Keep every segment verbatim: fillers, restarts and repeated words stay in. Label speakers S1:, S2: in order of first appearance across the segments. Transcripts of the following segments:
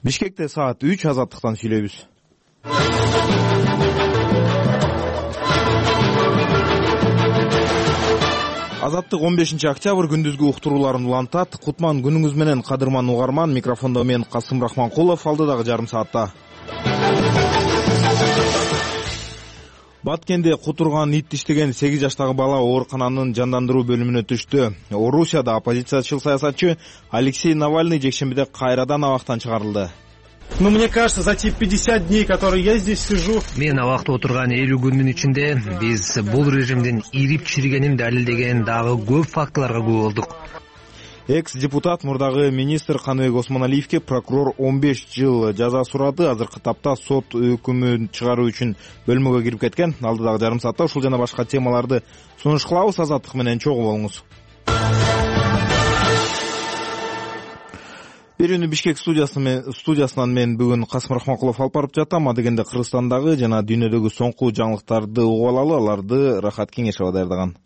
S1: Бишкекте саат үч, Азаттыктан сүйлөйбүз. Азаттык он бешинчи октябрь күндүзгү уктурууларын улантат. Кутман күнүңүз менен, кадырман угарман. Микрофондо мен Касым Рахманкулов. Алдыдагы жарым саатта. Баткенде кутурган ит иштеген сегиз жаштагы бала оорукананын жандандыруу бөлүмүнө түштү. Орусияда оппозициячыл саясатчы Алексей Навальный жекшембиде кайрадан абактан чыгарылды.
S2: Ну, мне кажется, за те пятьдесят дней, которые я здесь сижу...
S3: Мен абакта отурган элүү күндүн ичинде биз бул режимдин ирип чиригенин далилдеген дагы көп фактыларга күбө болдук.
S1: Экс-депутат мурдагы министр Каныбек Осмоналиевке прокурор он беш жыл жаза сурады. Азыркы тапта сот өкүмүн чыгаруу үчүн бөлмөгө кирип кеткен. Алдыдагы жарым саатта ушул жана башка темаларды сунуш кылабыз. Азаттык менен чогуу болуңуз. Берүүнү Бишкек студиясынан мен бүгүн Касым Рахманкулов алып барып жатам. Адегенде Кыргызстандагы жана дүйнөдөгү соңку жаңылыктарды угуп алалы. Аларды Рахат Кеңешова даярдаган.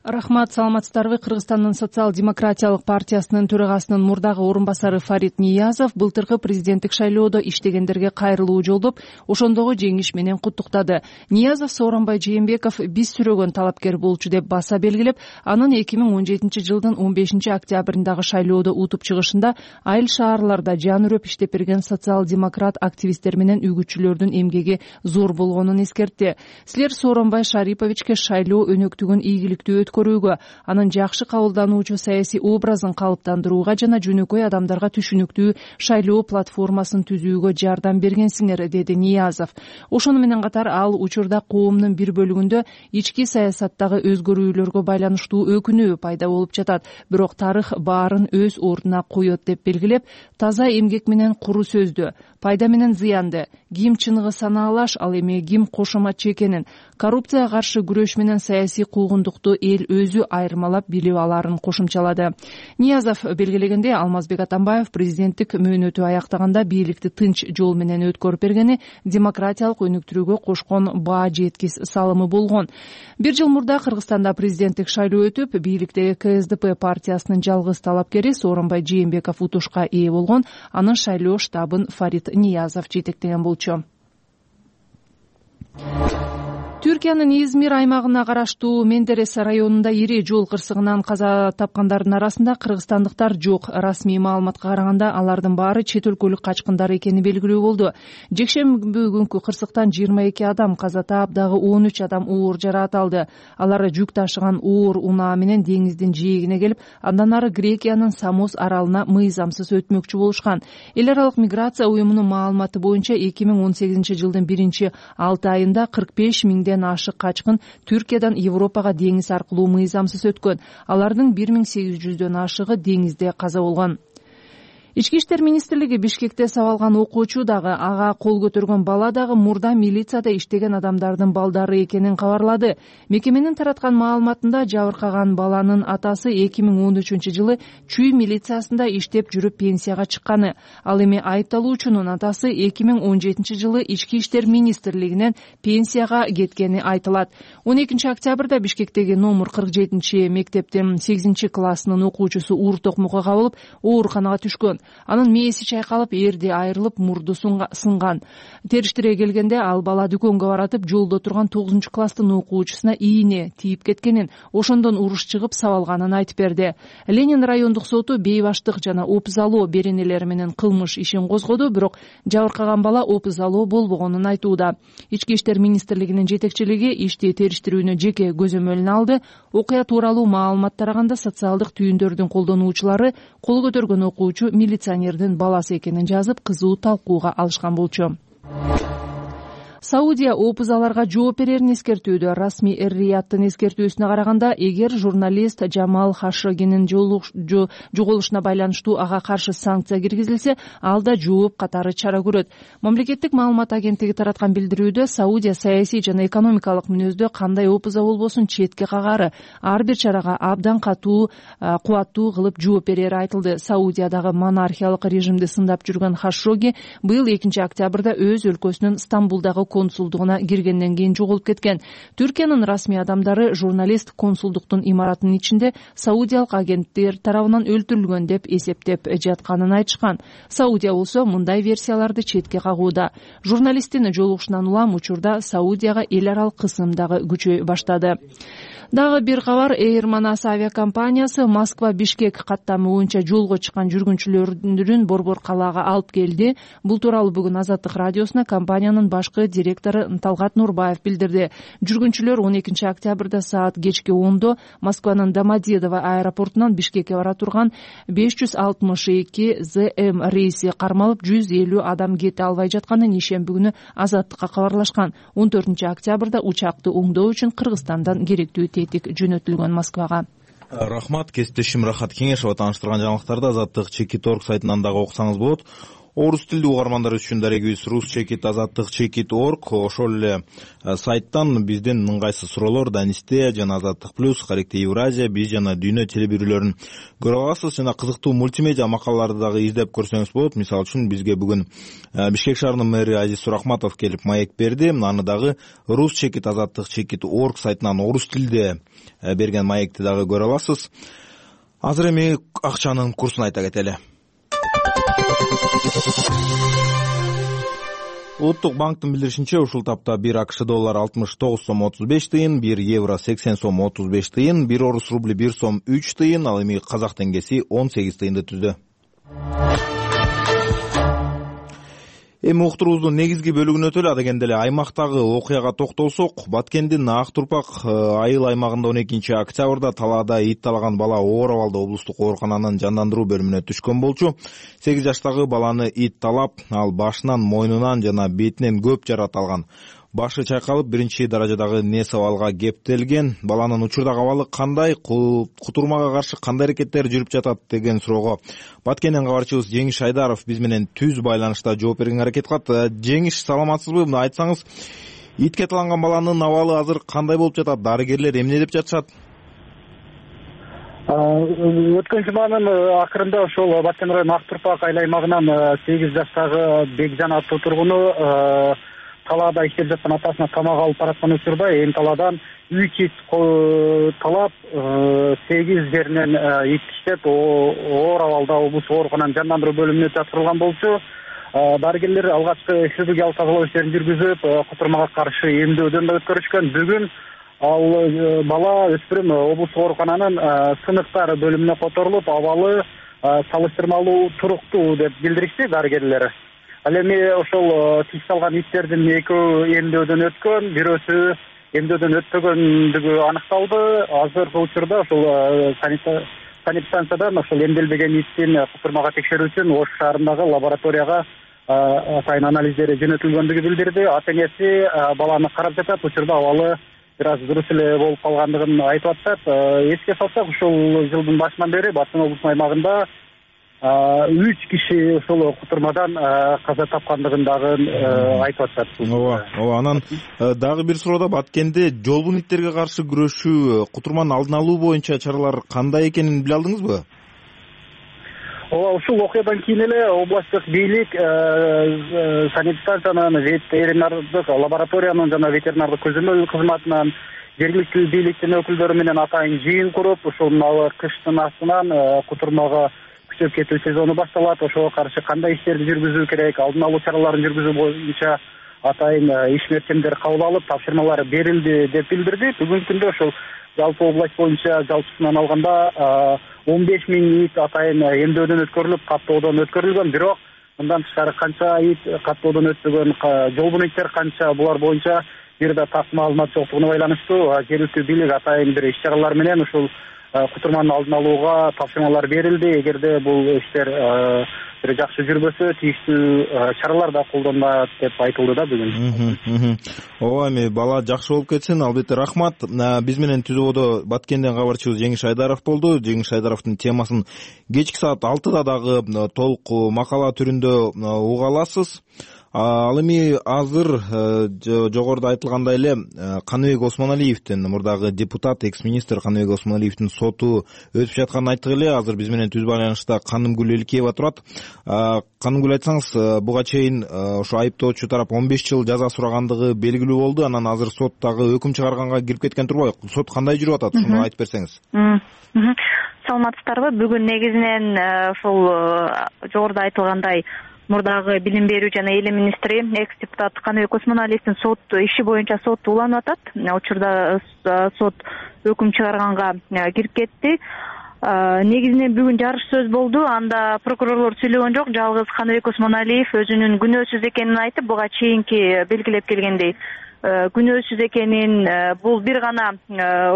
S4: Рахмат, саламатсыздарбы? Кыргызстандын социал-демократиялык партиясынын төрагасынын мурдагы орун басары Фарид Ниязов былтыркы президенттик шайлоодо иштегендерге кайрылуу жолдоп, ошондогу жеңиш менен куттуктады. Ниязов Сооронбай Жээнбеков биз сүрөгөн талапкер болчу деп баса белгилеп, анын эки миң он жетинчи жылдын он бешинчи октябрындагы шайлоодо утуп чыгышында айыл шаарларда жан үрөп иштеп берген социал-демократ активисттер менен үгүтчүлөрдүн эмгеги зор болгонун эскертти. Силер Сооронбай Шариповичке шайлоо өнөктүгүн ийгиликтүү көрүүгө, анын жакшы кабылдануучу саясий образын калыптандырууга жана жөнөкөй адамдарга түшүнүктүү шайлоо платформасын түзүүгө жардам бергенсиңер, деди Ниязов. Ошону менен катар ал учурда коомдун бир бөлүгүндө ички саясаттагы өзгөрүүлөргө байланыштуу өкүнүү пайда болуп жатат, бирок тарых баарын өз ордуна коет деп белгилеп, таза эмгек менен куру сөздү, пайда менен зыянды, ким чыныгы санаалаш, ал эми ким кошоматчы экенин, коррупцияга каршы күрөш менен саясий куугундукту эл өзү айырмалап билип аларын кошумчалады. Ниязов белгилегенде, Алмазбек Атамбаев президенттик мөөнөтү аяктаганда бийликти тынч жол менен өткөрүп бергени демократиялык өнүктүрүүгө кошкон баа жеткис салымы болгон. Бир жыл мурда Кыргызстанда президенттик шайлоо өтүп, бийликтеги КСДП партиясынын жалгыз талапкери Сооронбай Жээнбеков утушка ээ болгон. Анын шайлоо штабын Фарид Ниязов жетектеген болчу. Түркиянын Измир аймагына караштуу Мендерес районунда ири жол кырсыгынан каза тапкандардын арасында кыргызстандыктар жок. Расмий маалыматка караганда, алардын баары чет өлкөлүк качкындар экени белгилүү болду. Жекшемби күнкү кырсыктан жыйырма эки адам каза таап, дагы он үч адам оор жараат алды. Алар жүк ташыган оор унаа менен деңиздин жээгине келип, андан ары Грекиянын Самос аралына мыйзамсыз өтмөкчү болушкан. Эл аралык миграция уюмунун маалыматы боюнча эки миң он сегизинчи жылдын биринчи алты айында кырк беш миңден ашык качкын Түркиядан Европага деңиз аркылуу мыйзамсыз өткөн. Алардын бир миң сегиз жүздөн ашыгы деңизде каза болгон. Ички иштер министрлиги Бишкекте сабалган окуучу дагы, ага кол көтөргөн бала дагы мурда милицияда иштеген адамдардын балдары экенин кабарлады. Мекеменин тараткан маалыматында жабыркаган баланын атасы эки миң он үчүнчү жылы Чүй милициясында иштеп жүрүп пенсияга чыкканы. Ал эми айыпталуучунун атасы эки миң он жетинчи жылы Ички иштер министрлигинен пенсияга кеткени айтылат. он экинчи октябрда Бишкектеги номер кырк жетинчи мектептин сегизинчи классынын окуучусу уур токмокко кабылып, ооруканага түшкөн. Анын мээси чайкалып, эрди айрылып, мурду сынган. Териштире келгенде, ал бала дүкөнгө баратып, жолдо турган тогузунчу класстын окуучусуна ийне тийип кеткенин, ошондон уруш чыгып сабалганын айтып берди. Ленин райондук соту бейбаштык жана опузалоо беренелери менен кылмыш ишин козгоду, бирок жабыркаган бала опузалоо болбогонун айтууда. Ички иштер министрлигинин жетекчилиги ишти териштирүүнү жеке көзөмөлүнө алды. Окуя тууралуу маалымат тараганда, социалдык түйүндөрдүн колдонуучулары кол көтөргөн окуучу милиционердин баласы экенин жазып, кызуу талкууга алышкан болчу. Саудия опузаларга жооп берерин эскертүүдө. Расмий эр-Рияттын эскертүүсүнө караганда, эгер журналист Жамал Хашогинин жоголушуна байланыштуу ага каршы санкция киргизилсе, ал да жооп катары чара көрөт. Мамлекеттик маалымат агенттиги тараткан билдирүүдө, Саудия саясий жана экономикалык мүнөздө кандай опуза болбосун четке кагары, ар бир чарага абдан катуу, кубаттуу кылып жооп берери айтылды. Саудиядагы монархиялык режимди сындап жүргөн Хашоги быйыл экинчи октябрда өз өлкөсүнүн Стамбулдагы консулдугуна киргенден кийин жоголуп кеткен. Түркиянын расмий адамдары журналист консулдуктун имаратынын ичинде саудиялык агенттер тарабынан өлтүрүлгөн деп эсептеп жатканын айтышкан. Саудия болсо мындай версияларды четке кагууда. Журналисттин жолугушунан улам учурда Саудияга эл аралык кысым дагы күчөй баштады. Дагы бир кабар, Air Manas авиакомпаниясы Москва Бишкек каттамы боюнча жолго чыккан жүргүнчүлөрүн борбор калаага алып келди. Бул тууралуу бүгүн Азаттык радиосуна компаниянын башкы директору Талгат Нурбаев билдирди. Жүргүнчүлөр он экинчи октябрда саат кечки ондо Москванын Домодедово аэропортунан Бишкекке бара турган беш жүз алтымыш эки зэ эм рейси кармалып, жүз элүү адам кете албай жатканын ишемби күнү Азаттыкка кабарлашкан. он төртүнчү октябрда учакты оңдоо үчүн Кыргызстандан керектүү тетик жөнөтүлгөн Москвага.
S1: Рахмат, кесиптешим Рахат Кеңешова тааныштырган жаңылыктарды Азаттык Чекит точка орг сайтынан дагы окусаңыз болот. Орус тилдүү угармандар үчүн дарегибиз Рус Чекит Азаттык Чекит точка орг, ошол эле сайттан биздин ыңгайсыз суроолор Данисте жана Азаттык плюс, Каректе Евразия, биз жана Дүйнө телебирүүлөрүн көрө аласыз. Жана кызыктуу мультимедиа макалаларды дагы издеп көрсөңүз болот. Мисалы үчүн бизге бүгүн Бишкек шаарынын мэри Азиз Сурахматов келип маек берди. Аны дагы Рус Чекит Азаттык Чекит точка орг сайтынан орус тилде берген маекти дагы көрө аласыз. Азыр эми акчанын курсун айта кетели. Улуттук банктын билдиришинче, ушул тапта бир АКШ доллары алтымыш тогуз сом отуз беш тыйын, бир евро сексен сом отуз беш тыйын, бир орус рубли бир сом үч тыйын, ал эми казак теңгеси он сегиз тыйынды түздү. Эми уктуруубуздун негизги бөлүгүнө өтөлү. Ада дегенде эле аймактагы окуяга токтолсок, Баткендин Ак Турпак айыл аймагында он экинчи октябрда талаада ит талаган бала оор абалда облустук оорукананын жандандыруу бөлүмүнө түшкөн болчу. сегиз жаштагы баланы ит талап, ал башынан, мойнунан жана бетинен көп жаракат алган. Башы чайкалып, биринчи даражадагы нерв абалга кептелген. Баланын учурдагы абалы кандай, кутурмага каршы кандай аракеттер жүрүп жатат деген суроого Баткенден кабарчыбыз Жеңиш Айдаров биз менен түз байланышта жооп берген аракет кылат. Жеңиш, саламатсызбы? Мына айтсаңыз, итке таланган баланын абалы азыр кандай болуп жатат? Дарыгерлер эмне деп жатышат?
S5: Өткөн жуманын акырында ошол Баткен районунун Ак Турпак айыл аймагынан сегиз жаштагы Бекжан аттуу тургуну талаада иштеп жаткан атасына тамак алып бараткан учурда эми талаадан үч ит талап, сегиз жеринен ит иштеп, оор абалда облустук оорукананын жандандыруу бөлүмүнө жаткырылган болчу. Дарыгерлер алгачкы хирургиялык тазалоо иштерин жүргүзүп, кутурмага каршы эмдөөдөн да өткөрүшкөн. Бүгүн ал бала өспүрүм облустук оорукананын сыныктар бөлүмүнө которулуп, абалы салыштырмалуу туруктуу деп билдиришти дарыгерлер. Ал эми ошол тиш салган иттердин экөө эмдөөдөн өткөн, бирөөсү эмдөөдөн өтпөгөндүгү аныкталды. Азыркы учурда ошол санэпидстанциядан ошол эмделбеген иттин кутурмага текшерүү үчүн Ош шаарындагы лабораторияга атайын анализдери жөнөтүлгөндүгү билдирди. Ата энеси баланы карап жатат, учурда абалы бир аз дурус эле болуп калгандыгын айтып атышат. Эске салсак, ушул жылдын башынан бери Баткен облусунун аймагында үч киши ошол кутурмадан каза тапкандыгын дагы айтып атышат.
S1: Ооба, ооба. Анан дагы бир суроо да, Баткенде жолбун иттерге каршы күрөшүү, кутурманын алдын алуу боюнча чаралар кандай экенин биле алдыңызбы?
S5: Ооба, ушул окуядан кийин эле областтык бийлик санэпидстанциянын ветеринардык лабораториянын жана ветеринардык көзөмөл кызматынан жергиликтүү бийликтин өкүлдөрү менен атайын жыйын куруп, ушул кыштын астынан кутурмага күчөп кетүү сезону башталат. Ошого каршы кандай иштерди жүргүзүү керек, алдын алуу чараларын жүргүзүү боюнча атайын иш мерчемдер кабыл алып, тапшырмалар берилди деп билдирди. Бүгүнкү күндө ошол жалпы область боюнча жалпысынан алганда он беш миң ит атайын эмдөөдөн өткөрүлүп, каттоодон өткөрүлгөн. Бирок мындан тышкары канча ит каттоодон өтпөгөн, жолбун иттер канча, булар боюнча бир да так маалымат жоктугуна байланыштуу жергиликтүү бийлик атайын бир иш чаралар менен ушул кутурманын алдын алууга тапшырмалар берилди. Эгерде бул иштер бир жакшы жүрбөсө, тийиштүү чаралар да колдонулат деп айтылды да бүгүн.
S1: Ооба, эми бала жакшы болуп кетсин. Албетте рахмат. Биз менен түзүүдө Баткенден кабарчыбыз Жеңиш Айдаров болду. Жеңиш Айдаровдун темасын кечки саат алтыда дагы толук макала түрүндө уга аласыз. Ал эми азыр жогоруда айтылгандай эле Каныбек Осмоналиевдин, мурдагы депутат, экс-министр Каныбек Осмоналиевдин соту өтүп жатканын айттык эле. Азыр биз менен түз байланышта Канымгүл Эликеева турат. Канымгүл, айтсаңыз, буга чейин ошо айыптоочу тарап он беш жыл жаза сурагандыгы белгилүү болду. Анан азыр сот дагы өкүм чыгарганга кирип кеткен турбайбы? Сот кандай жүрүп атат? Ушуну айтып берсеңиз.
S6: Саламатсыздарбы? Бүгүн негизинен ушул жогоруда айтылгандай мурдагы билим берүү жана эл министри, экс-депутат Каныбек Осмоналиевдин сот иши боюнча сот уланып атат. Учурда сот өкүм чыгарганга кирип кетти. Негизинен бүгүн жарыш сөз болду. Анда прокурорлор сүйлөгөн жок. Жалгыз Каныбек Осмоналиев өзүнүн күнөөсүз экенин айтып, буга чейинки белгилеп келгендей күнөөсүз экенин, бул бир гана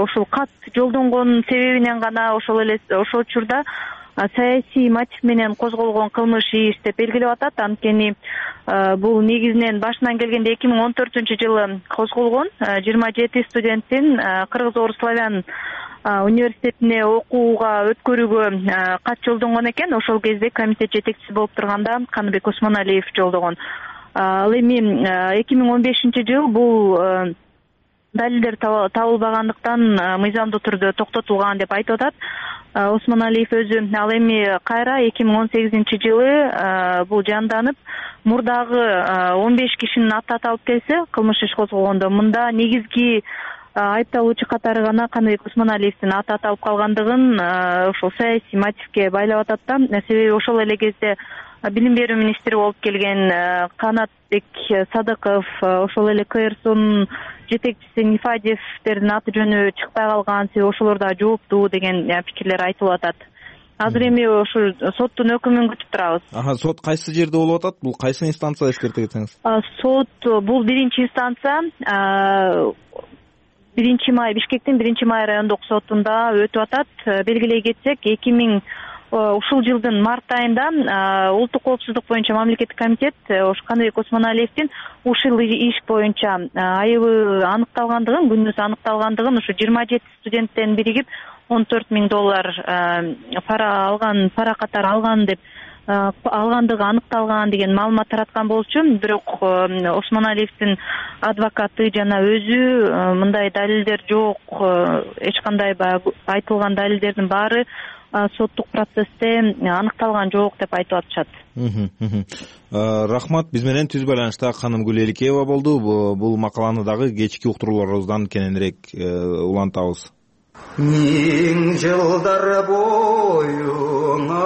S6: ушул кат жолдонгон себебинен гана ошол эле ошол учурда саясий мотив менен козголгон кылмыш иш деп белгилеп атат. Анткени бул негизинен башынан келгенде эки миң он төртүнчү жылы козголгон. жыйырма жети студенттин Кыргыз-Орус славян университетине окууга өткөрүүгө кат жолдонгон экен. Ошол кезде комитет жетекчиси болуп турганда Каныбек Осмоналиев жолдогон. Ал эми эки миң он бешинчи жыл бул далилдер табылбагандыктан мыйзамдуу түрдө токтотулган деп айтып атат Осмоналиев өзү. Ал эми кайра эки миң он сегизинчи жылы бул жанданып, мурдагы он беш кишинин аты аталып келсе, кылмыш иш козголгондо мында негизги айыпталуучу катары гана Каныбек Осмоналиевдин аты аталып калгандыгын ошол саясий мотивке байлап атат да. Себеби ошол эле кезде билим берүү министри болуп келген Канатбек Садыков, ошол эле КРСонун жетекчиси Нифадиевдердин аты жөнү чыкпай калган, себеби ошолор да жооптуу деген пикирлер айтылып атат. Азыр эми ушу соттун өкүмүн күтүп турабыз.
S1: Аха, сот кайсы жерде болуп атат? Бул кайсы инстанция, эскерте кетсеңиз?
S6: Сот бул биринчи инстанция, биринчи май Бишкектин биринчи май райондук сотунда өтүп атат. Белгилей кетсек, эки миң ушул жылдын март айында улуттук коопсуздук боюнча мамлекеттик комитет ош Каныбек Осмоналиевдин ушул иш боюнча айыбы аныкталгандыгын, күнөөсү аныкталгандыгын, ушу жыйырма жети студенттен биригип он төрт миң доллар пара алган, пара катары алган деп алгандыгы аныкталган деген маалымат тараткан болчу. Бирок Осмоналиевдин адвокаты жана өзү мындай далилдер жок, эч кандай баягы айтылган далилдердин баары соттук процессте аныкталган жок деп айтып атышат.
S1: Рахмат. Биз менен түз байланышта Канымгүл Эликеева болду. Бул макаланы дагы кечки уктурууларыбыздан кененирээк улантабыз.
S7: Миң жылдар боюңа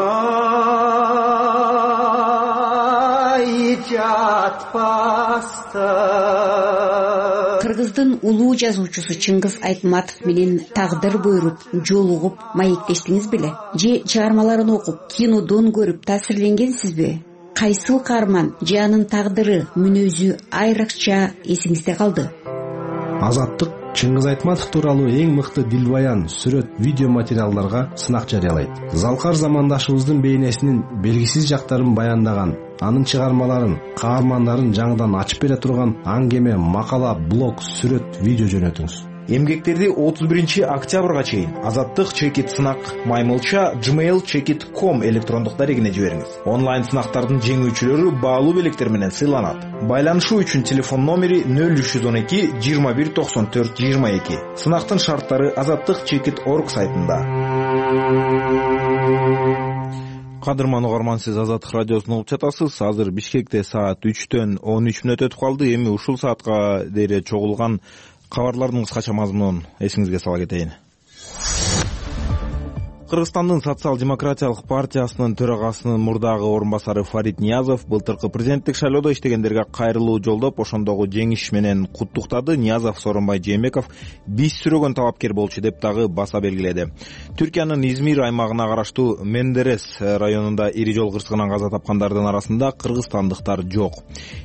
S7: жатпаста.
S8: Кыргыздын улуу жазуучусу Чыңгыз Айтматов менен тагдыр буйруп жолугуп маектештиңиз беле? Же чыгармаларын окуп, кинодон көрүп таасирленгенсизби? Кайсыл каарман же анын тагдыры, мүнөзү айрыкча эсиңизде калды?
S9: Азаттык Чыңгыз Айтматов тууралуу эң мыкты дилбаян, сүрөт, видео материалдарга сынак жарыялайт. Залкар замандашыбыздын бейнесинин белгисиз жактарын баяндаган, анын чыгармаларын, каармандарын жаңыдан ачып бере турган аңгеме, макала, блог, сүрөт, видео жөнөтүңүз.
S1: Эмгектерди отуз биринчи октябрга чейин азаттык чекит сынак маймылча gmail чекит точка ком электрондук дарегине жибериңиз. Онлайн сынактардын жеңүүчүлөрү баалуу белектер менен сыйланат. Байланышуу үчүн телефон номери нөл үч жүз он эки жыйырма бир токсон төрт жыйырма эки. Сынактын шарттары азаттык чекит точка орг сайтында. Кадырман угарман, сиз Азаттык радиосун угуп жатасыз. Азыр Бишкекте саат үчтөн он үч мүнөт өтүп калды. Эми ушул саатка дейре чогулган кабарлардын кыскача мазмунун эсиңизге сала кетейин. Кыргызстандын социал-демократиялык партиясынын төрагасынын мурдагы орун басары Фарид Ниязов былтыркы президенттик шайлоодо иштегендерге кайрылуу жолдоп, ошондогу жеңиш менен куттуктады. Ниязов Сооронбай Жээнбеков биз сүрөгөн талапкер болчу деп дагы баса белгиледи. Түркиянын Измир аймагына караштуу Мендерес районунда ири жол кырсыгынан каза тапкандардын арасында кыргызстандыктар жок.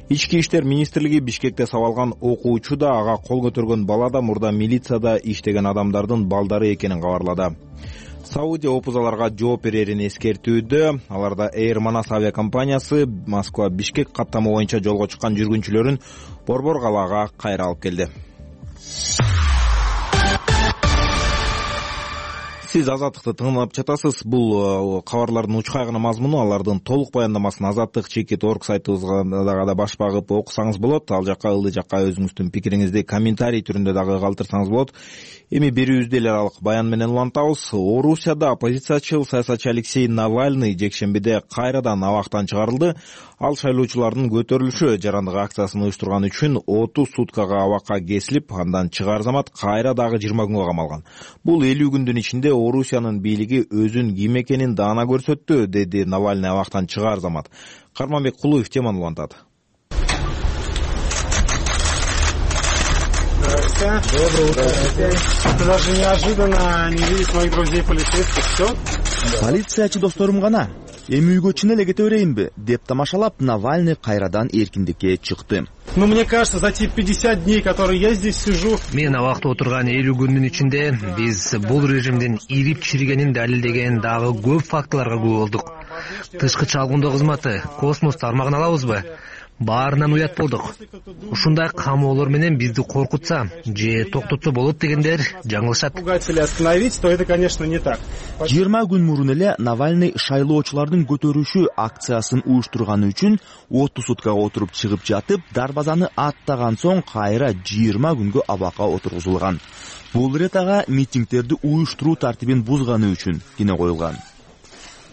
S1: Ички иштер министрлиги Бишкекте сабалган окуучу да, ага кол көтөргөн бала да мурда милицияда иштеген адамдардын балдары экенин кабарлады. Саудия опузаларга жооп берерин эскертүүдө. Аларда Air Manas авиакомпаниясы Москва Бишкек каттамы боюнча жолго чыккан жүргүнчүлөрүн Борбор калаага кайра алып келди. Сиз Азаттыкты тыңдап жатасыз. Бул кабарлардын учкайгына мазмуну, алардын толук баяндамасын азаттык чекит точка орг сайтыбызга дагы баш багып окусаңыз болот. Ал жакка ылдый жакка өзүңүздүн пикириңизди комментарий түрүндө дагы калтырсаңыз болот. Эми берүүбүздү эл аралык баян менен улантабыз. Орусияда оппозициячыл саясатчы Алексей Навальный жекшембиде кайрадан абактан чыгарылды. Ал шайлоочулардын көтөрүлүшү жарандык акциясын уюштурган үчүн отуз суткага абакка кесилип, андан чыгаар замат кайра дагы жыйырма күнгө камалган. Бул элүү күндүн ичинде Орусиянын бийлиги өзүн ким экенин даана көрсөттү, деди Навальный абактан чыгаар замат. Карманбек Кулуев теманы улантат.
S2: Доброе утро. Даже неожиданно не видеть моих друзей полицейских. Все?
S10: Полициячы досторум гана. Эми үйгө чын эле кете берейинби деп тамашалап, Навальный кайрадан эркиндикке чыкты.
S2: Ну, мне кажется, за те пятьдесят дней, которые я здесь сижу...
S3: Мен абакта отурган элүү күндүн ичинде биз бул режимдин ирип чиригенин далилдеген дагы көп фактыларга күбө болдук. Тышкы чалгындоо кызматы, космос тармагын алабызбы? Баарынан уят болдук. Ушундай камоолор менен бизди коркутса же токтотсо болот дегендер жаңылышат.
S2: Пугать или остановить, то это, конечно, не так.
S10: жыйырма күн мурун эле Навальный шайлоочулардын көтөрүшү акциясын уюштурганы үчүн отуз суткага отуруп чыгып жатып, дарбазаны аттаган соң кайра жыйырма күнгө абакка отургузулган. Бул ирет ага митингдерди уюштуруу тартибин бузганы үчүн кине коюлган.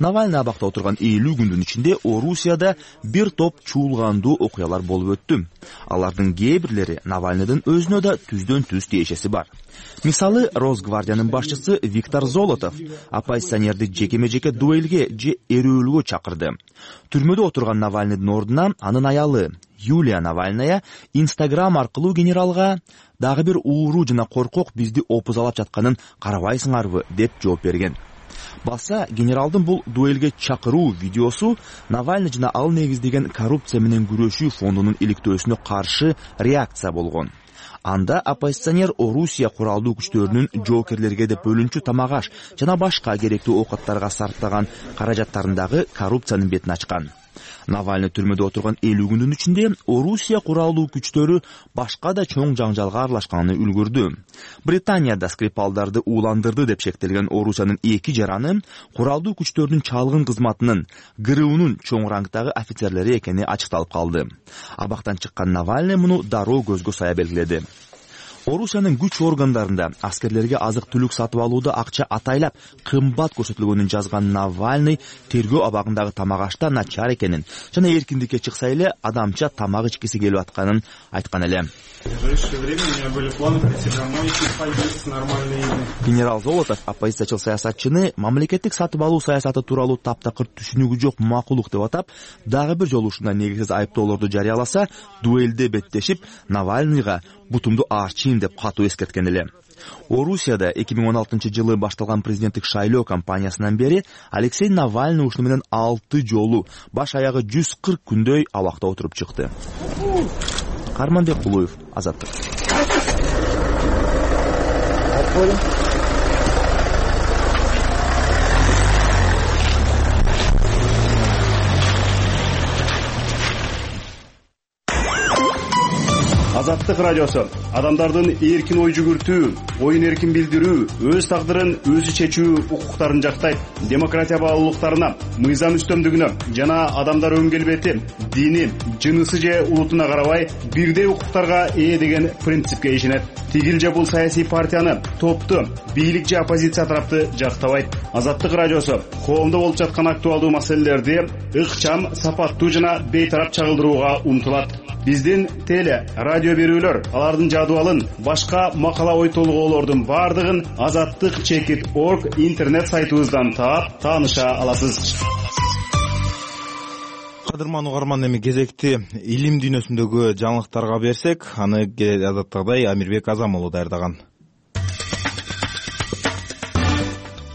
S10: Навальный абакта отурган элүү күндүн ичинде Орусияда бир топ чуулгандуу окуялар болуп өттү. Алардын кээ бирлери Навальныйдын өзүнө да түздөн түз тиешеси бар. Мисалы, Росгвардиянын башчысы Виктор Золотов оппозиционерди жекеме-жеке дуэлге же эрөөлгө чакырды. Түрмөдө отурган Навальныйдын ордуна анын аялы Юлия Навальная Инстаграм аркылуу генералга дагы бир ууруу жана коркок бизди опузалап жатканын карабайсыңарбы деп жооп берген. Баса, генералдын бул дуэлге чакыруу видеосу Навальный жана ал негиздеген коррупция менен күрөшүү фондунун иликтөөсүнө каршы реакция болгон. Анда оппозиционер Орусия куралдуу күчтөрүнүн жоокерлерге деп бөлүнчү тамак-аш жана башка керектүү оокаттарга сарптаган каражаттарындагы коррупциянын бетин ачкан. Навальный түрмөдө отурган элүү күндүн ичинде Орусия куралдуу күчтөрү башка да чоң жаңжалга аралашканын үлгүрдү. Британияда Скрипалдарды ууландырды деп шектелген Орусиянын эки жараны куралдуу күчтөрдүн чалгын кызматынын ГРУнун чоң рангдагы офицерлери экени ачыкталып калды. Абактан чыккан Навальный муну дароо көзгө сая белгиледи. Орусиянын күч органдарында аскерлерге азык-түлүк сатып алууда акча атайлап кымбат көрсөтүлгөнүн жазган Навальный тергөө абагындагы тамак-ашта начар экенин жана эркиндикке чыкса эле адамча тамак ичкиси келип атканын айткан эле. Генерал Золотов оппозициячыл саясатчыны мамлекеттик сатып алуу саясаты тууралуу таптакыр түшүнүгү жок макулук деп атап, дагы бир жолу ушундай негизсиз айыптоолорду жарыяласа, дуэлде беттешип, Навальныйга бутумду аарчийм деп катуу эскерткен эле. Орусияда эки миң он алтынчы жылы башталган президенттик шайлоо кампаниясынан бери Алексей Навальный ушуну менен алты жолу баш аягы жүз кырк күндөй абакта отуруп чыкты. Карманбек Кулуев, Азаттык.
S2: Азаттык радиосу адамдардын эркин ой жүгүртүү, оюн эркин билдирүү, өз тагдырын өзү чечүү укуктарын жактайт. Демократия баалуулуктарына, мыйзам үстөмдүгүнө жана адамдар өң келбети, дини, жынысы же улутуна карабай бирдей укуктарга ээ деген принципке ишенет. Тигил же бул саясий партияны, топту, бийлик же оппозиция тарапты жактабайт. Азаттык радиосу коомдо болуп жаткан актуалдуу маселелерди ыкчам, сапаттуу жана бейтарап чагылдырууга умтулат. Биздин теле, радио берүүлөр, алардын жадыбалын, башка макала ой толгоолордун бардыгын азаттык чекит точка орг интернет сайтыбыздан таап, тааныша аласыз.
S1: Кадырман угарман, эми кезекти илим дүйнөсүндөгү жаңылыктарга берсек, аны адаттагыдай Амирбек Азам уулу даярдаган.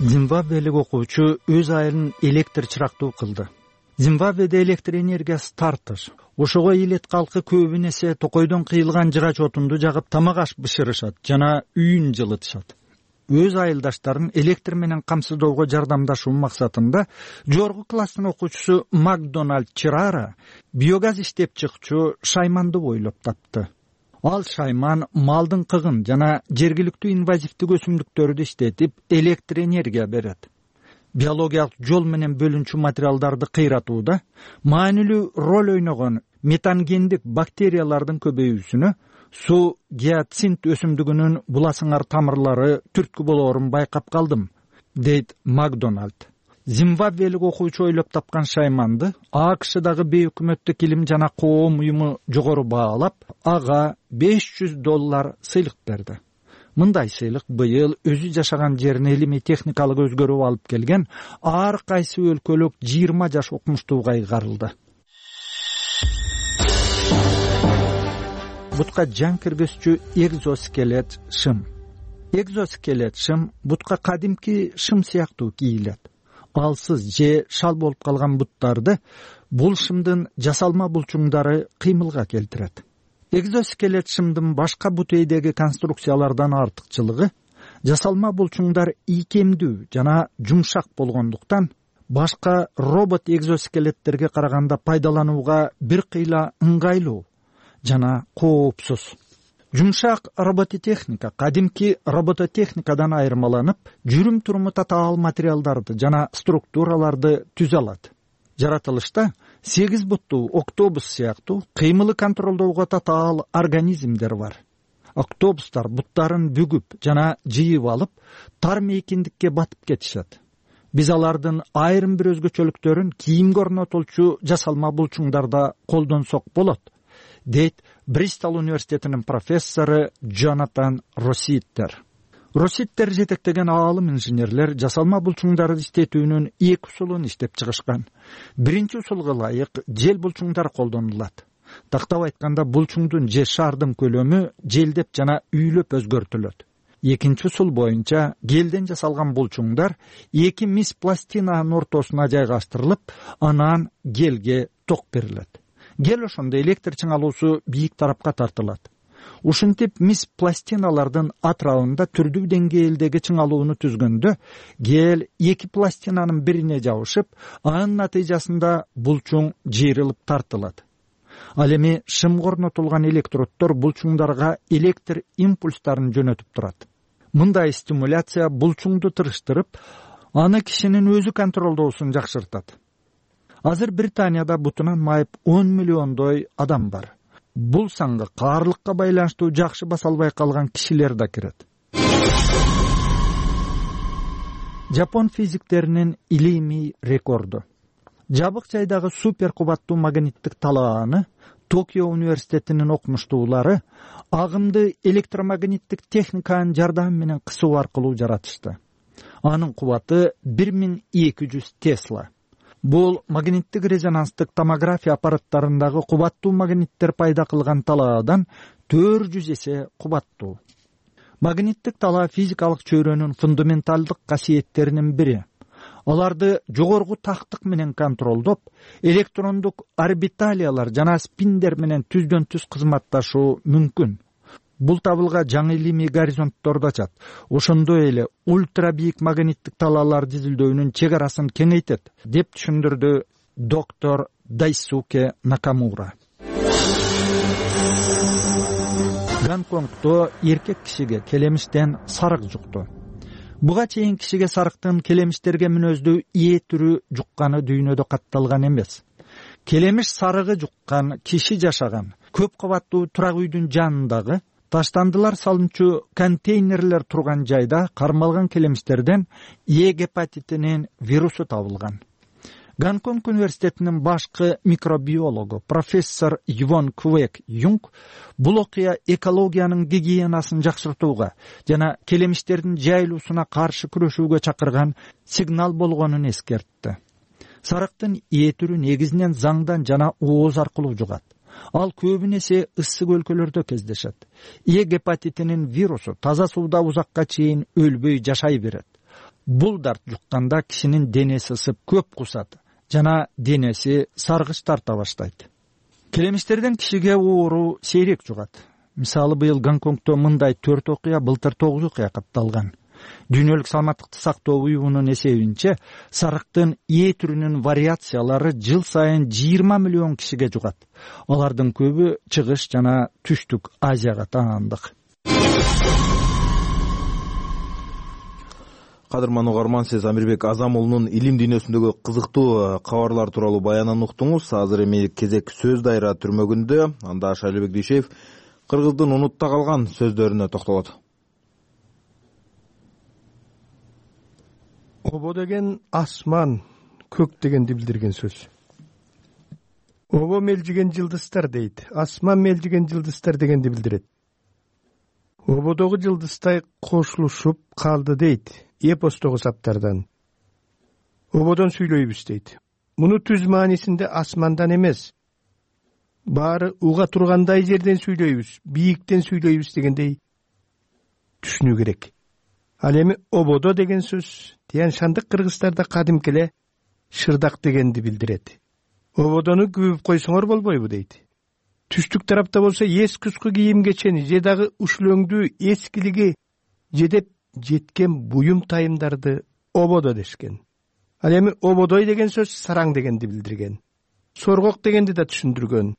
S11: Зимбабвелик окуучу өз айылын электр чырактуу кылды. Зимбабведе электр энергиясы тартыш. Ошого элет калкы көбүн эсе токойдон кыйылган жыгач отунду жагып тамак-аш бышырышат жана үйүн жылытышат. Өз айылдаштарын электр менен камсыздоого жардамдашуу максатында жогорку класстын окуучусу Макдоналд Чирара биогаз иштеп чыкчу шайманды бойлоп тапты. Ал шайман малдын кыгын жана жергиликтүү инвазивдик өсүмдүктөрдү иштетип электр энергия берет. Биологиялык жол менен бөлүнчү материалдарды кыйратууда маанилүү роль ойногон метангендик бактериялардын көбөйүүсүнө суу гиацинт өсүмдүгүнүн буласыңар тамырлары түрткү болоорун байкап калдым, дейт Макдоналд. Зимбабвелик окуучу ойлоп тапкан шайманды АКШдагы бейөкмөттүк илим жана коом уюму жогору баалап, ага беш жүз доллар сыйлык берди. Мындай сыйлык быйыл өзү жашаган жерине илимий техникалык өзгөрүү алып келген ар кайсы өлкөлүк жыйырма жаш окумуштууга ыйгарылды. Бутка жан киргизчү экзоскелет шым. Экзоскелет шым бутка кадимки шым сыяктуу кийилет. Алсыз же шал болуп калган буттарды бул шымдын жасалма булчуңдары кыймылга келтирет. Экзоскелет шымдын башка бутейдеги конструкциялардан артыкчылыгы жасалма булчуңдар ийкемдүү жана жумшак болгондуктан башка робот экзоскелеттерге караганда пайдаланууга бир кыйла ыңгайлуу жана коопсуз. Жумшак робототехника кадимки робототехникадан айырмаланып, жүрүм туруму татаал материалдарды жана структураларды түзө алат. Жаратылышта сегиз буттуу октобус сыяктуу кыймылы контролдоого татаал организмдер бар. Октобустар буттарын бүгүп жана жыйып алып, тар мейкиндикке батып кетишет. Биз алардын айрым бир өзгөчөлүктөрүн кийимге орнотулчу жасалма булчуңдарда колдонсок болот, дейт Бристол университетинин профессору Джонатан Росситтер. Росситтер жетектеген аалым инженерлер жасалма булчуңдарды иштетүүнүн эки усулун иштеп чыгышкан. Биринчи усулга ылайык жел булчуңдар колдонулат. Тактап айтканда булчуңдун же шардын көлөмү желдеп жана үйлөп өзгөртүлөт. Экинчи усул боюнча гелден жасалган булчуңдар эки мис пластинанын ортосуна жайгаштырылып, анан гелге ток берилет. Гел ошондо электр чыңалуусу бийик тарапка тартылат. Ушинтип мис пластиналардын атрабында түрдүү деңгээлдеги чыңалууну түзгөндө гел эки пластинанын бирине жабышып, анын натыйжасында булчуң жыйрылып тартылат. Ал эми шымга орнотулган электроддор булчуңдарга электр импульстарын жөнөтүп турат. Мындай стимуляция булчуңду тырыштырып, аны кишинин өзү контролдоосун жакшыртат. Азыр Британияда бутунан майып он миллиондой адам бар. Бул санга каарлыкка байланыштуу жакшы баса албай калган кишилер да кирет. Жапон физиктеринин илимий рекорду. Жабык жайдагы супер кубаттуу магниттик талааны Токио университетинин окумуштуулары агымды электромагниттик техниканын жардамы менен кысуу аркылуу жаратышты. Анын кубаты бир миң эки жүз тесла. Бул магниттик резонанстык томография аппараттарындагы кубаттуу магниттер пайда кылган талаадан төрт жүз эсе кубаттуу. Магниттик талаа физикалык чөйрөнүн фундаменталдык касиеттеринин бири. Аларды жогорку тактык менен контролдоп, электрондук орбиталиялар жана спиндер менен түздөн-түз кызматташуу мүмкүн. Бул табылга жаңы илимий горизонтторду ачат. Ошондой эле ультра бийик магниттик талаалар дизилдөөнүн чек арасын кеңейтет, деп түшүндүрдү доктор Дайсуке Накамура. Гонконгдо эркек кишиге келемиштен сарык жукту. Буга чейин кишиге сарыктын келемиштерге мүнөздүү ээ түрү жукканы дүйнөдө катталган эмес. Келемиш сарыгы жуккан киши жашаган көп кабаттуу турак үйдүн жанындагы таштандылар салынчу контейнерлер турган жайда кармалган келемиштерден Е гепатитинин вирусу табылган. Гонконг университетинин башкы микробиологу профессор Йвон Квек Юнг бул окуя экологиянын гигиенасын жакшыртууга жана келемиштердин жайылуусуна каршы күрөшүүгө чакырган сигнал болгонун эскертти. Сарыктын ээ түрү негизинен заңдан жана ооз аркылуу жугат. Ал көбүнесе ысык өлкөлөрдө кездешет. Е гепатитинин вирусу таза сууда узакка чейин өлбөй жашай берет. Бул дарт жукканда кишинин денеси ысып көп кусат жана денеси саргыч тарта баштайт. Келемиштерден кишиге оору сейрек жугат. Мисалы быйыл Гонконгдо мындай төрт окуя, былтыр тогуз окуя катталган. Дүйнөлүк саламаттыкты сактоо уюмунун эсебинче сарыктын ээ түрүнүн вариациялары жыл сайын жыйырма миллион кишиге жугат. Алардын көбү чыгыш жана түштүк Азияга таандык.
S1: Кадырман угарман, сиз Амирбек Азамулунун илим дүйнөсүндөгү кызыктуу кабарлар тууралуу баянын уктуңуз. Азыр эми кезек сөз дайра түрмөгүндө. Анда Шайлыбек Дүйшеев кыргыздын унутта калган сөздөрүнө токтолот.
S12: Обо деген асман, көк дегенди билдирген сөз. Обо мелжиген жылдыздар дейт, асман мелжиген жылдыздар дегенди билдирет. Ободогу жылдыздай кошулушуп калды дейт эпостогу саптардан. Ободон сүйлөйбүз дейт. Муну түз маанисинде асмандан эмес, баары уга тургандай жерден сүйлөйбүз, бийиктен сүйлөйбүз дегендей түшүнүү керек. Ал эми ободо деген сөз Тиян Шандык кыргыздарда кадимки эле шырдак дегенди билдирет. Ободону күбүп койсоңор болбойбу дейт. Түштүк тарапта болсо эски-уску кийим кечени же дагы ушлөңдүү эскилиги жедеп жеткен буюм тайымдарды ободо дешкен. Ал эми ободой деген сөз сараң дегенди билдирген. Соргок дегенди да түшүндүргөн.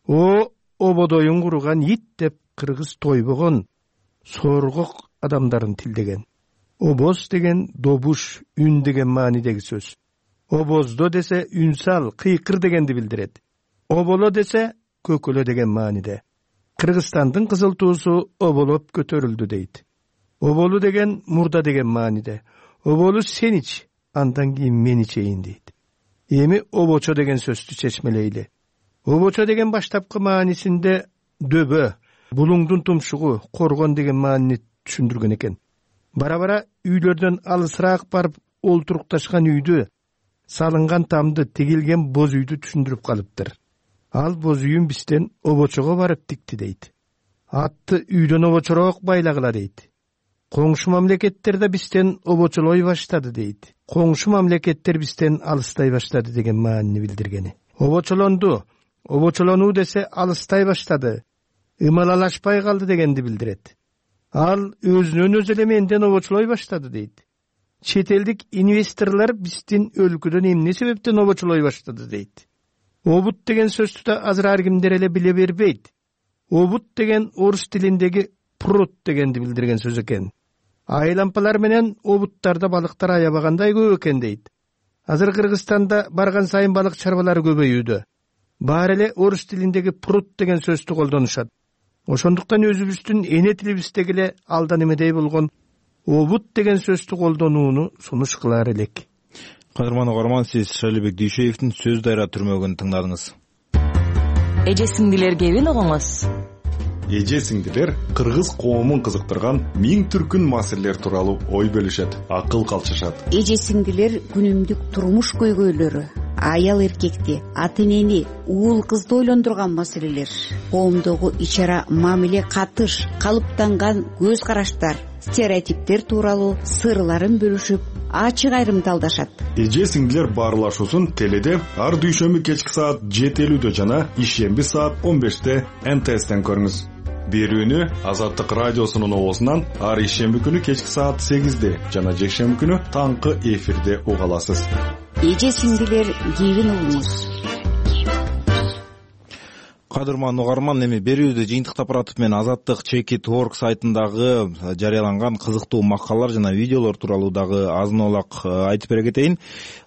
S12: О ободоюн куруган ит деп кыргыз тойбогон соргок адамдарын тилдеген. Обоз деген добуш, үн деген маанидеги сөз. Обоздо десе үнсал, кыйкыр дегенди билдирет. Оболо десе көкөлө деген мааниде. Кыргызстандын кызыл туусу оболоп көтөрүлдү дейт. Оболу деген мурда деген мааниде. Оболу сен ич, андан кийин мен ичейин дейт. Эми обочо деген сөздү чечмелейли. Обочо деген баштапкы маанисинде дөбө, булуңдун тумшугу, коргон деген маанини түшүндүргөн экен. Бара-бара үйлөрдөн алысыраак барып олтурукташкан үйдү, салынган тамды, тигилген боз үйдү түшүндүрүп калыптыр. Ал боз үйүн бизден обочого барып тикти дейт. Атты үйдөн обочороок байлагыла дейт. Коңшу мамлекеттерде бизден обочолой баштады дейт. Коңшу мамлекеттер бизден алыстай баштады деген маанини билдиргени. Обочолонду, обочолонуу десе алыстай баштады, ымалалашпай калды дегенди билдирет. Ал өзүнөн өзү эле менден обочолой баштады дейт. Чет элдик инвесторлор биздин өлкөдөн эмне себептен обочолой баштады дейт. Обут деген сөздү да азыр ар кимдер эле биле бербейт. Обут деген орус тилиндеги пруд дегенди билдирген сөз экен. Айлампалар менен обуттарда балыктар аябагандай көп экен дейт. Азыр Кыргызстанда барган сайын балык чарбалары көбөйүүдө. Баары эле орус тилиндеги пруд деген сөздү колдонушат. Ошондуктан өзүбүздүн эне тилибиздеги эле алдан эмедей болгон обут деген сөздү колдонууну сунуш кылар элек.
S1: Кадырман угарман, сиз Шайлыбек Дүйшеевдин сөз дайра түрмөгүн тыңдадыңыз.
S13: Эже сиңдилер кебин угуңуз.
S14: Эже сиңдилер кыргыз коомун кызыктырган миң түркүн маселелер тууралуу ой бөлүшөт, акыл калчышат.
S8: Эже сиңдилер күнүмдүк турмуш көйгөйлөрү, аял эркекти, ата энени, уул кызды ойлондурган маселелер, коомдогу ич-ара мамиле катыш, калыптанган көз караштар, стереотиптер тууралуу сырларын бөлүшүп, ачык айрымдалдашат.
S14: Эже сиңдилер баарлашуусун теледе ар дүйшөмбү кечки саат жети элүүдө жана ишемби саат он беште эн тэ эстен көрүңүз. Берүүнү Азаттык радиосунун оозунан ар ишемби күнү кечки саат сегизде жана жекшемби күнү таңкы эфирде уга аласыз.
S8: Эже сиңдилер кебин угуңуз.
S1: Кадырман угарман, эми берүүдө жыйынтык Апаратов менен Азаттык чеки точка орг сайтындагы жарыяланган кызыктуу макалалар жана видеолор тууралуу дагы азын олак айтып бере кетейин.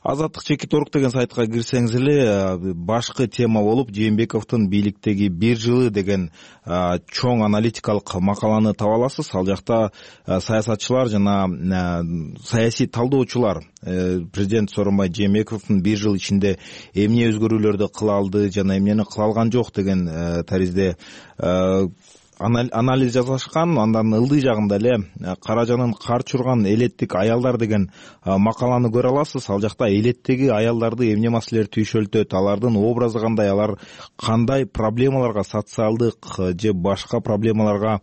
S1: Азаттык чеки точка орг деген сайтка кирсеңиз эле башкы тема болуп Жээнбековдун бийликтеги бир жылы деген чоң аналитикалык макаланы таба аласыз. Ал жакта саясатчылар жана саясий талдоочулар президент Сооронбай Жээнбековдун бир жыл ичинде эмне өзгөрүүлөрдү кыла алды жана эмнени кыла алган жок деген таризде анализ жасашкан. Андан ылдый жагында эле Каражанын кар чурган элеттик аялдар деген макаланы көрө аласыз. Ал жакта элеттеги аялдарды эмне маселелер түйшөлтөт, алардын образы кандай, алар кандай проблемаларга, социалдык же башка проблемаларга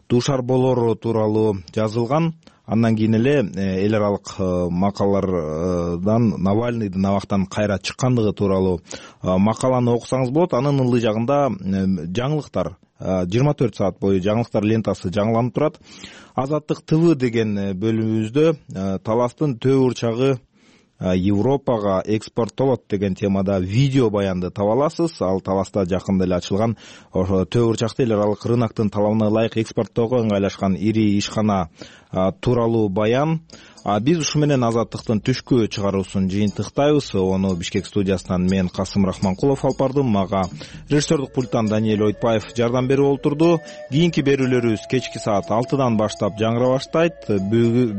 S1: дуушар болору тууралуу жазылган. Андан кийин эле эл аралык макалалардан Навальныйдын абактан кайра чыккандыгы тууралуу макаланы окусаңыз болот. Анын ылдый жагында жаңылыктар жыйырма төрт саат бою жаңылыктар лентасы жаңыланып турат. Азаттык ТВ деген бөлүмүбүздө таластын төө урчагы Европага экспорттолот деген темада видео баянды таба аласыз. Ал таласта жакында эле ачылган ошо төө урчакты эл аралык рыноктун талабына ылайык экспорттоого ыңгайлашкан ири ишкана тууралуу баян. Биз ушу менен Азаттыктын түшкү чыгаруусун жыйынтыктайбыз. Ону Бишкек студиясынан мен Касым Рахманкулов алып бардым. Мага режиссердик пульттан Даниэль Ойтбаев жардам берип олтурду. Кийинки берүүлөрүбүз кечки саат алтыдан баштап жаңыра баштайт.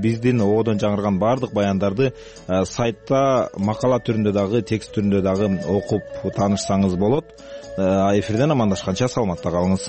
S1: Биздин ободон жаңырган баардык баяндарды сайтта макала түрүндө дагы, текст түрүндө дагы окуп таанышсаңыз болот. Эфирден амандашканча саламатта калыңыз.